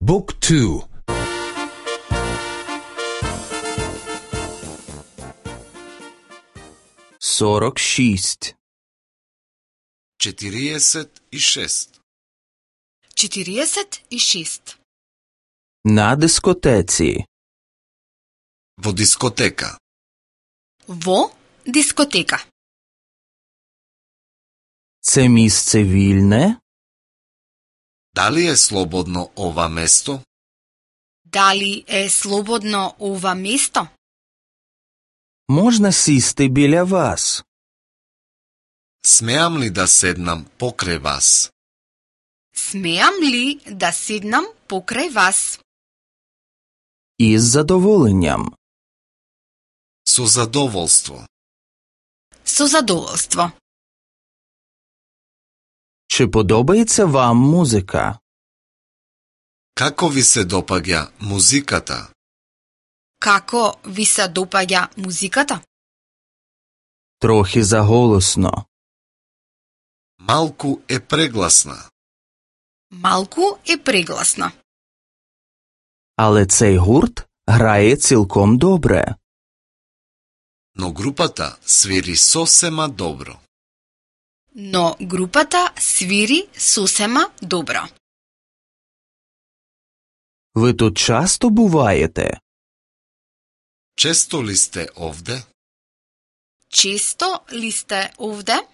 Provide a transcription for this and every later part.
Book 2. 46. 46. 46. На дискотеці. Во дискотека. Во дискотека. Це місце вільне? Дали е слободно ова место? Дали е слободно ова место? Можна сісти біля вас? Смеам ли да седнам покрај вас? Смеам ли да седнам покрај вас? Із задоволенням. Со задоволство. Со задоволство. Чи подобається вам музика? Како ви се допаѓа музиката? Како ви се допаѓа музиката? Трохи заголосно. Малку е прегласна. Малку е прегласна. Але цей гурт грає цілком добре. Но групата свири сосема добро. Но групата свири сосема добро. Ви тут часто буваєте? Често ли сте овде? Често ли сте овде?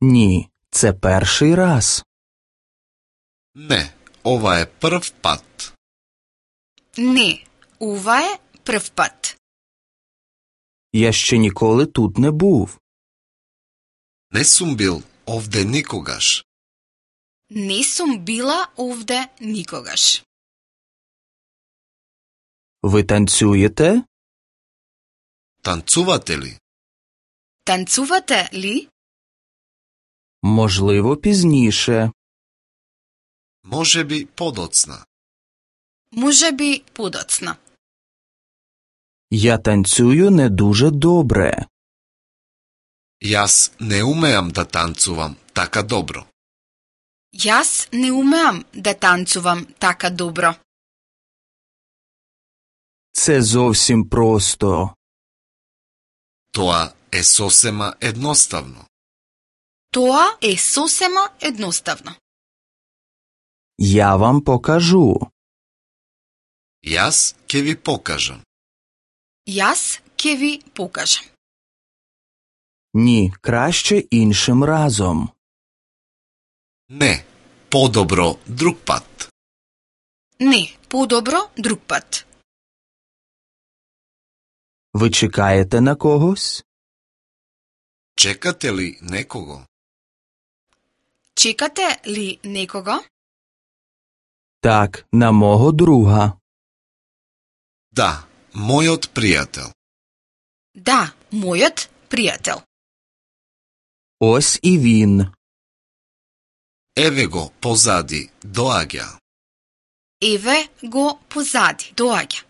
Ні, це перший раз. Не, ова е прв пат. Не, ова е прв пат. Я ще ніколи тут не був. Не сум бил овде никогаш. Не сум била овде никогаш. Ви танцюєте? Танцувате ли? Танцувате ли? Можливо, пізніше. Можеби подоцна. Можеби подоцна. Я танцюю не дуже добре. Јас не умеам да танцувам така добро. Јас не умеам да танцувам така добро. Це зовсім просто. Тоа е сосема едноставно. Тоа е сосема едноставно. Я вам покажу. Јас ќе ви покажам. Јас ќе ви покажам. Ні, краще іншим разом. Не, подобро друг пат. Не, подобро друг пат. Ви чекаєте на когось? Чекате ли некого? Чекате ли некого? Так, на мого друга. Да, мојот пријател. Да, мојот пријател. Ось і він. Еве го позади, доаѓа. Еве го позади, доаѓа.